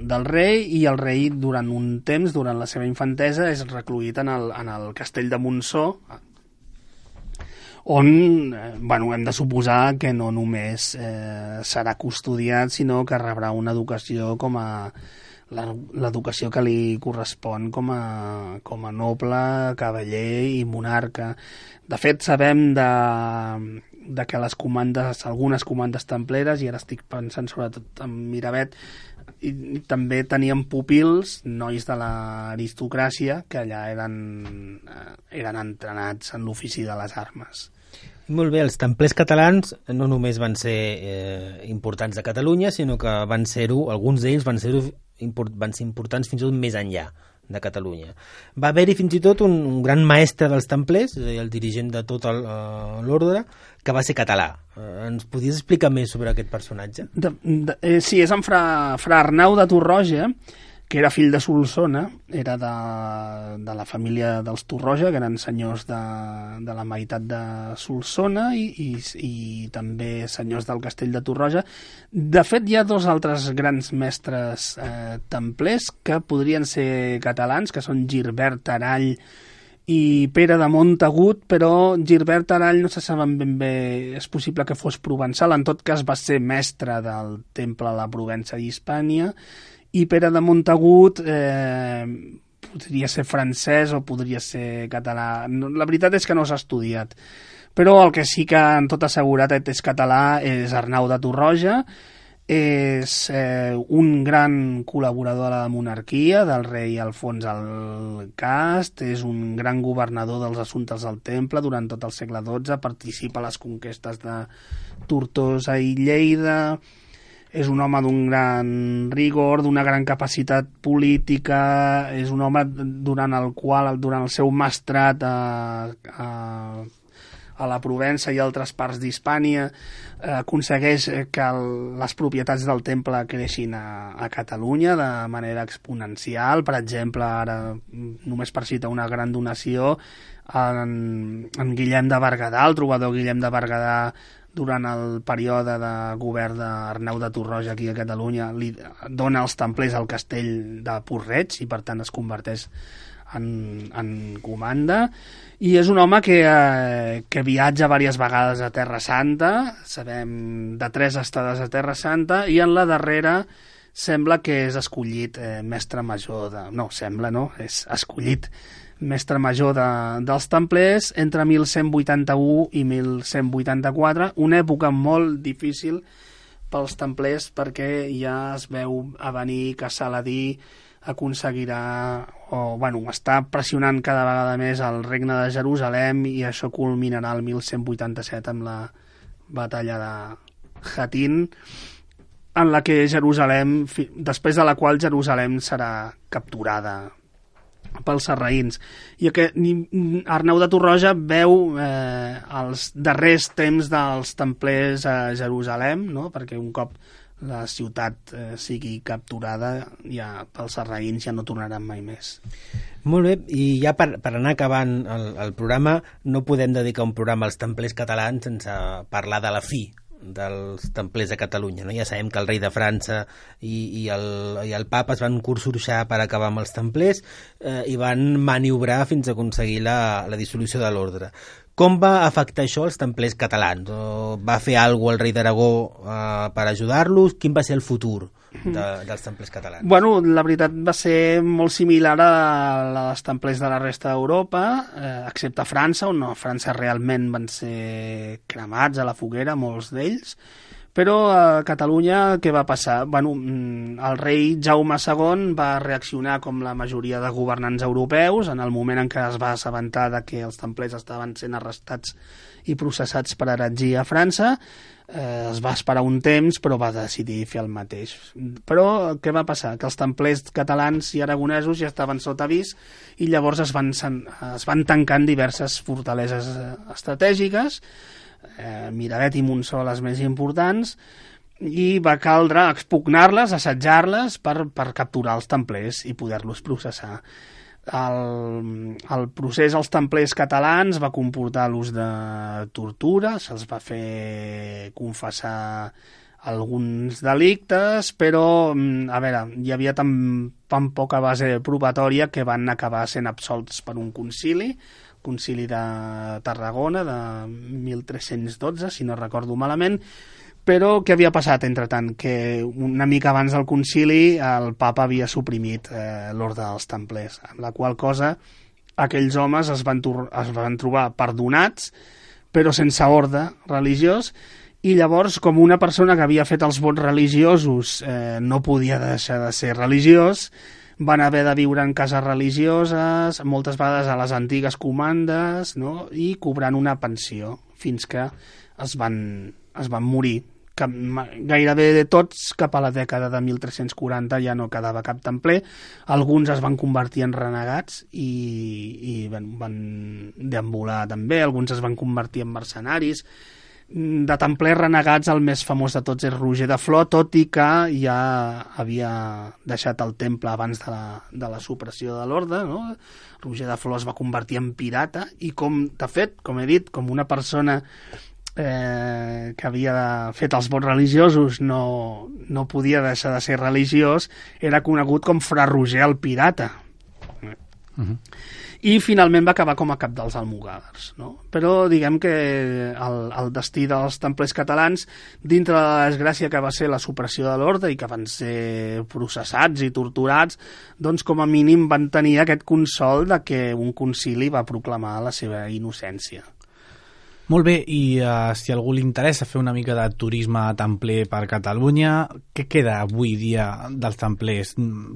Speaker 5: del rei, i el rei durant un temps, durant la seva infantesa, és recluït en el, en el castell de Montsó, on eh, bueno, hem de suposar que no només eh, serà custodiat, sinó que rebrà una educació com a l'educació que li correspon com a, com a noble, cavaller i monarca. De fet, sabem de de que les comandes, algunes comandes templeres, i ara estic pensant sobretot en Miravet, i, i també tenien pupils, nois de l'aristocràcia, que allà eren, eren entrenats en l'ofici de les armes.
Speaker 4: Molt bé, els templers catalans no només van ser eh, importants a Catalunya, sinó que van ser-ho, alguns d'ells van ser-ho import, van ser importants fins i tot més enllà de Catalunya. Va haver-hi fins i tot un, un gran mestre dels templers, és a dir, el dirigent de tot l'ordre, que va ser català. Eh, ens podies explicar més sobre aquest personatge?
Speaker 5: De, de, eh, sí, és en fra, fra Arnau de Torroja, que era fill de Solsona, era de, de la família dels Torroja, que eren senyors de, de la meitat de Solsona i, i, i també senyors del castell de Torroja. De fet, hi ha dos altres grans mestres eh, templers que podrien ser catalans, que són Girbert Arall i Pere de Montagut, però Girbert Arall no se saben ben bé, és possible que fos provençal, en tot cas va ser mestre del temple a la Provença i Hispània, i Pere de Montagut eh, podria ser francès o podria ser català. La veritat és que no s'ha estudiat, però el que sí que en tota seguretat és català és Arnau de Torroja. És eh, un gran col·laborador de la monarquia, del rei Alfons el Cast, és un gran governador dels assumptes del temple durant tot el segle dotze, participa a les conquestes de Tortosa i Lleida, és un home d'un gran rigor, d'una gran capacitat política, és un home durant el qual, durant el seu mestrat a, a, a la Provença i altres parts d'Hispània, eh, aconsegueix que el, les propietats del temple creixin a, a Catalunya de manera exponencial. Per exemple, ara, només per citar una gran donació, en, en Guillem de Berguedà, el trobador Guillem de Berguedà, durant el període de govern d'Arnau de Torroja aquí a Catalunya, li dona els templers al castell de Porreig i per tant es converteix en, en comanda, i és un home que, eh, que viatja diverses vegades a Terra Santa, sabem de tres estades a Terra Santa, i en la darrera sembla que és escollit eh, mestre major de... No, sembla, no, és escollit mestre major de, dels templers entre mil cent vuitanta-u i mil cent vuitanta-quatre, una època molt difícil pels templers perquè ja es veu a venir que Saladí aconseguirà, o bueno, està pressionant cada vegada més el regne de Jerusalem, i això culminarà el mil cent vuitanta-set amb la batalla de Hattin, en la que Jerusalem, després de la qual Jerusalem serà capturada pels sarraïns. I que Arnau de Torroja veu eh, els darrers temps dels templers a Jerusalem, no? Perquè un cop la ciutat eh, sigui capturada, ja pels sarraïns ja no tornaran mai més.
Speaker 4: Molt bé, i ja per, per anar acabant el, el programa, no podem dedicar un programa als templers catalans sense parlar de la fi dels templers de Catalunya, no? Ja sabem que el rei de França i, i, el, i el papa es van consorciar per acabar amb els templers eh, i van maniobrar fins a aconseguir la, la dissolució de l'ordre. Com va afectar això als templers catalans? O va fer alguna cosa el rei d'Aragó eh, per ajudar-los? Quin va ser el futur de, dels templers catalans?
Speaker 5: Bueno, la veritat va ser molt similar a la dels templers de la resta d'Europa, eh, excepte França, on a França realment van ser cremats a la foguera, molts d'ells. Però a Catalunya què va passar? Bueno, el rei Jaume segon va reaccionar com la majoria de governants europeus en el moment en què es va assabentar de que els templers estaven sent arrestats i processats per heretgia a França. Eh, es va esperar un temps, però va decidir fer el mateix. Però què va passar? Que els templers catalans i aragonesos ja estaven sota avís i llavors es van, es van tancar en diverses fortaleses estratègiques, eh, Miravet i Montsó les més importants, i va caldre expugnar-les, assetjar-les per, per capturar els templers i poder-los processar. El, el procés als templers catalans va comportar l'ús de tortura, se'ls va fer confessar alguns delictes, però, a veure, hi havia tan, tan poca base probatòria que van acabar sent absolts per un concili, concili de Tarragona de mil tres-cents dotze, si no recordo malament. Però què havia passat, entretant? Que una mica abans del concili el papa havia suprimit eh, l'ordre dels templers, amb la qual cosa aquells homes es van, es van trobar perdonats, però sense ordre religiós, i llavors, com una persona que havia fet els vots religiosos eh, no podia deixar de ser religiós, van haver de viure en cases religioses, moltes vegades a les antigues comandes, no? I cobrant una pensió, fins que es van, es van morir. Que gairebé de tots, cap a la dècada de mil tres-cents quaranta ja no quedava cap templer. Alguns es van convertir en renegats i, i van, van deambular també, alguns es van convertir en mercenaris. De templers renegats el més famós de tots és Roger de Flor, tot i que ja havia deixat el temple abans de la, de la supressió de l'ordre, no? Roger de Flor es va convertir en pirata i, com de fet, com he dit, com una persona Eh, que havia fet els vots religiosos no, no podia deixar de ser religiós, era conegut com Fra Roger el Pirata. Uh-huh. I finalment va acabar com a cap dels almogàvers, no? Però diguem que el, el destí dels templers catalans, dintre de la desgràcia que va ser la supressió de l'ordre i que van ser processats i torturats, doncs com a mínim van tenir aquest consol de que un concili va proclamar la seva innocència.
Speaker 3: Molt bé, i uh, si a algú li interessa fer una mica de turisme templer per Catalunya, què queda avui dia dels templers?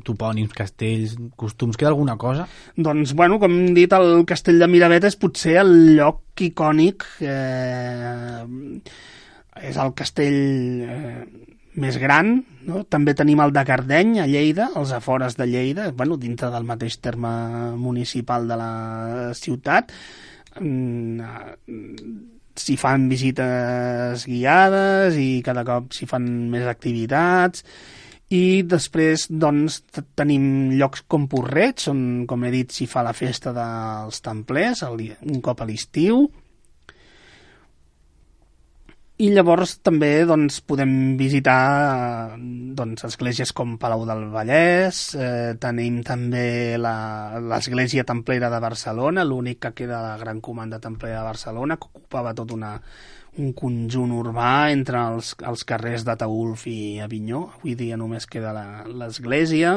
Speaker 3: Topònims, castells, costums, queda alguna cosa?
Speaker 5: Doncs, bueno, com hem dit, el castell de Miravet és potser el lloc icònic, eh, és el castell eh, més gran, no? També tenim el de Cardeny, a Lleida, als afores de Lleida, bueno, dintre del mateix terme municipal de la ciutat. S'hi fan visites guiades i cada cop s'hi fan més activitats. I després, doncs, tenim llocs com Porreig, on, com he dit, s'hi fa la festa dels templers, un cop a l'estiu. I llavors també doncs, podem visitar doncs, esglésies com Palau del Vallès, eh, tenim també l'església templera de Barcelona, l'únic que queda de la Gran Comanda Templera de Barcelona, que ocupava tot una, un conjunt urbà entre els, els carrers d'Ataülf i Avinyó. Avui dia només queda l'església.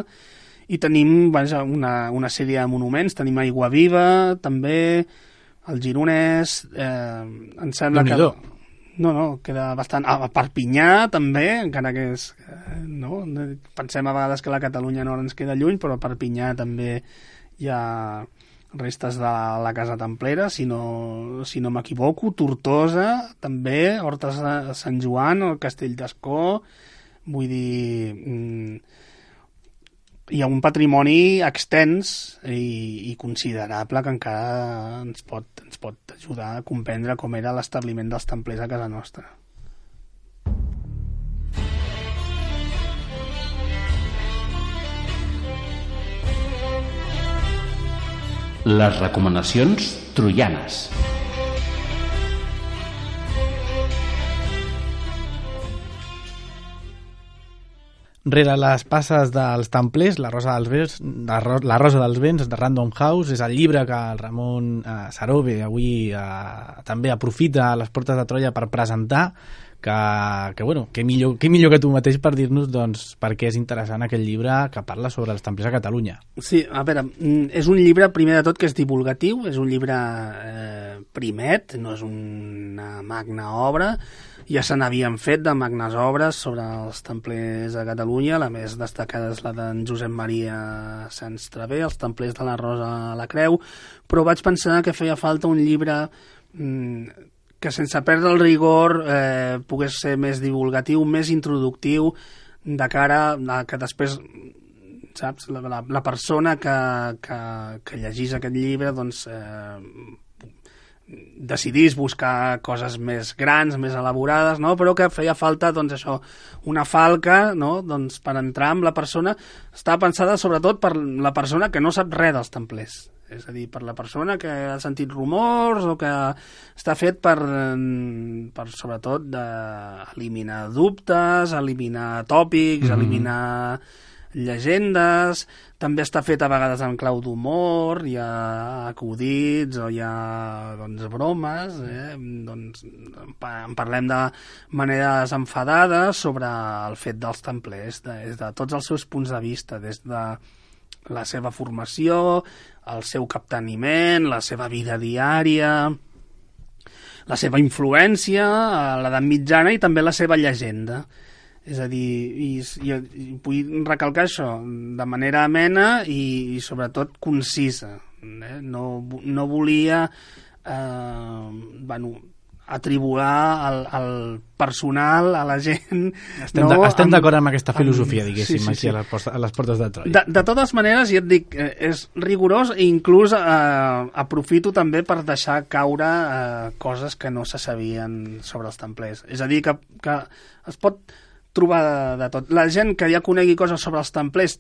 Speaker 5: I tenim vaja, una, una sèrie de monuments, tenim Aiguaviva, també, el Gironès, eh, em sembla que... No, no, queda bastant... A Perpinyà, també, encara que és... No? Pensem a vegades que la Catalunya Nord ens queda lluny, però a Perpinyà també hi ha restes de la Casa Templera, si no, si no m'equivoco. Tortosa, també, Hortes de Sant Joan, el Castell d'Ascó. Vull dir... Hi ha un patrimoni extens i, i considerable que encara ens pot, ens pot ajudar a comprendre com era l'establiment dels templers a casa nostra.
Speaker 7: Les recomanacions troianes.
Speaker 3: Rere les passes dels templers, la Rosa dels Vents, la, Ro la Rosa dels Vents de Random House és el llibre que el Ramon eh, Sarobe avui eh, també aprofita a les portes de Troia per presentar, que, que bueno, que millor, que millor que tu mateix per dir-nos doncs, per què és interessant aquest llibre que parla sobre els templers a Catalunya.
Speaker 5: Sí, a veure, és un llibre primer de tot que és divulgatiu, és un llibre eh, primet, no és una magna obra. Ja se n'havien fet de magnes obres sobre els templers a Catalunya, la més destacada és la d'en Josep Maria Sans Travé, els templers de la Rosa a la Creu, però vaig pensar que feia falta un llibre mmm, que sense perdre el rigor eh, pogués ser més divulgatiu, més introductiu, de cara a que després, saps, la, la, la persona que, que, que llegís aquest llibre doncs, eh, decidís buscar coses més grans, més elaborades, no? Però que feia falta doncs, això, una falca, no? Doncs, per entrar amb la persona. Està pensada sobretot per la persona que no sap res dels templers. És a dir, per la persona que ha sentit rumors o que està fet per, per sobretot, de eliminar dubtes, eliminar tòpics, mm-hmm. eliminar llegendes. També està fet a vegades en clau d'humor, hi ha acudits o hi ha doncs, bromes, eh? Doncs, en parlem de manera desenfadada sobre el fet dels templers, des de tots els seus punts de vista, des de la seva formació, el seu capteniment, la seva vida diària, la seva influència a l'edat mitjana i també la seva llegenda. És a dir, i, i, i vull recalcar això de manera amena i, i sobretot concisa. Eh? No, no volia eh, bueno, atribular el, el personal a la gent.
Speaker 3: Estem
Speaker 5: no?
Speaker 3: estem d'acord amb aquesta filosofia, amb, diguéssim, sí, sí,
Speaker 5: sí.
Speaker 3: aquí a les, portes, a les portes de Troia.
Speaker 5: De, de totes maneres, ja et dic, és rigorós i inclús eh, aprofito també per deixar caure eh, coses que no se sabien sobre els templers. És a dir, que, que es pot trobar de, de tot. La gent que ja conegui coses sobre els templers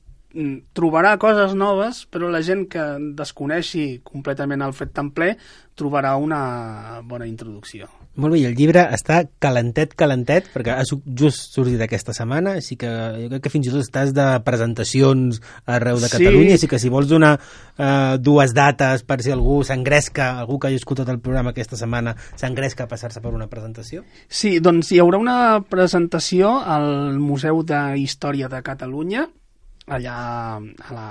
Speaker 5: trobarà coses noves, però la gent que desconeixi completament el fet templer trobarà una bona introducció.
Speaker 4: Molt bé, i el llibre està calentet, calentet, perquè ha just sortit aquesta setmana, així que jo crec que fins i tot estàs de presentacions arreu de Catalunya, sí. Així que si vols donar eh, dues dates per si algú s'engresca, algú que hagi escoltat el programa aquesta setmana, s'engresca a passar-se per una presentació?
Speaker 5: Sí, doncs hi haurà una presentació al Museu de Història de Catalunya, allà a la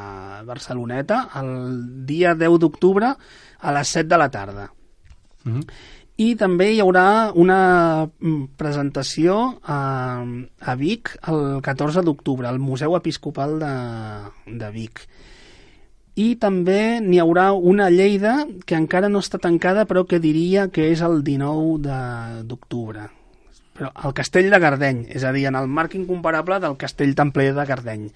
Speaker 5: Barceloneta, el dia deu d'octubre a les set de la tarda. Mm-hmm. I també hi haurà una presentació a, a Vic el catorze d'octubre, al Museu Episcopal de, de Vic. I també n'hi haurà una a Lleida que encara no està tancada, però que diria que és el dinou d'octubre. però el castell de Gardeny, és a dir, en el marc incomparable del castell templer de Gardeny.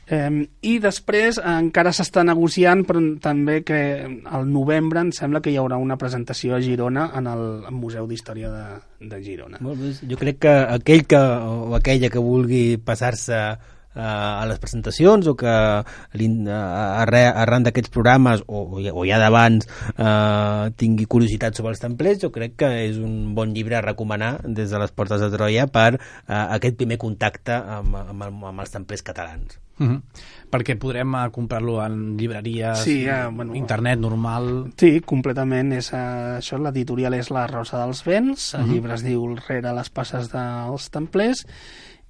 Speaker 5: Eh, I després encara s'està negociant, però també que al novembre em sembla que hi haurà una presentació a Girona en el Museu d'Història de, de Girona.
Speaker 4: Molt bé. Jo crec que aquell que, o aquella que vulgui passar-se uh, a les presentacions o que arran d'aquests programes o, o ja d'abans uh, tingui curiositat sobre els templers, jo crec que és un bon llibre a recomanar des de les Portes de Troia per uh, aquest primer contacte amb, amb, el, amb els templers catalans.
Speaker 3: Uh-huh. Perquè podrem uh, comprar-lo en llibreries,
Speaker 5: sí, uh, bueno,
Speaker 3: internet normal...
Speaker 5: Sí, completament. És, uh, això, l'editorial és La Rosa dels Vents, el uh-huh. llibre es diu Rere les passes dels templers,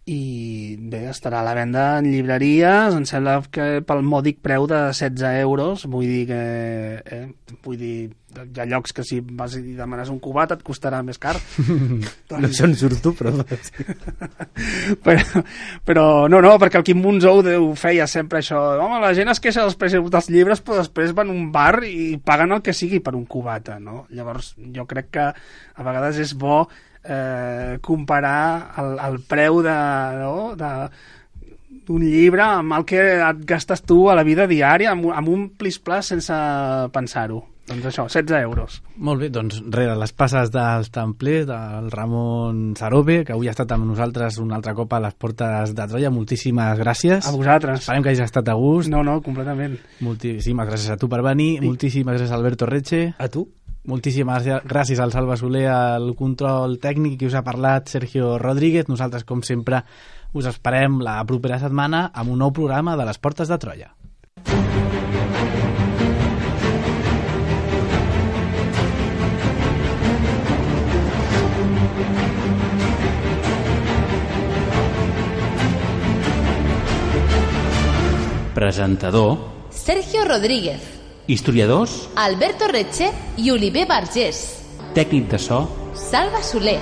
Speaker 5: i bé, estarà a la venda en llibreries, em sembla que pel mòdic preu de setze euros, vull dir que eh, vull dir, hi ha llocs que si vas i demanes un cubat et costarà més car.
Speaker 4: No sé on surto, però...
Speaker 5: però... Però no, no, perquè el Quim Monzó ho feia sempre això, home, la gent es queixa dels preus dels llibres, però després van a un bar i paguen el que sigui per un cubata, no? Llavors jo crec que a vegades és bo Eh, comparar el, el preu de, no, de, d'un llibre amb el que et gastes tu a la vida diària, amb, amb un plis-plas sense pensar-ho. Doncs això, setze euros.
Speaker 3: Molt bé, doncs rere les passes dels templers, del Ramon Sarobe, que avui ha estat amb nosaltres un altre cop a les Portes de Troia. Moltíssimes gràcies.
Speaker 5: A vosaltres.
Speaker 3: Esperem que hagis estat a gust.
Speaker 5: No, no, completament.
Speaker 3: Moltíssimes gràcies a tu per venir. I... Moltíssimes gràcies a Alberto Reche.
Speaker 4: A tu.
Speaker 3: Moltíssimes gràcies al Salva Soler, al control tècnic, que us ha parlat Sergio Rodríguez. Nosaltres, com sempre, us esperem la propera setmana amb un nou programa de les Portes de Troia.
Speaker 7: Presentador
Speaker 1: Sergio Rodríguez.
Speaker 7: Historiadors
Speaker 1: Alberto Reche i Oliver Vergés.
Speaker 7: Tècnic de so
Speaker 1: Salva Soler.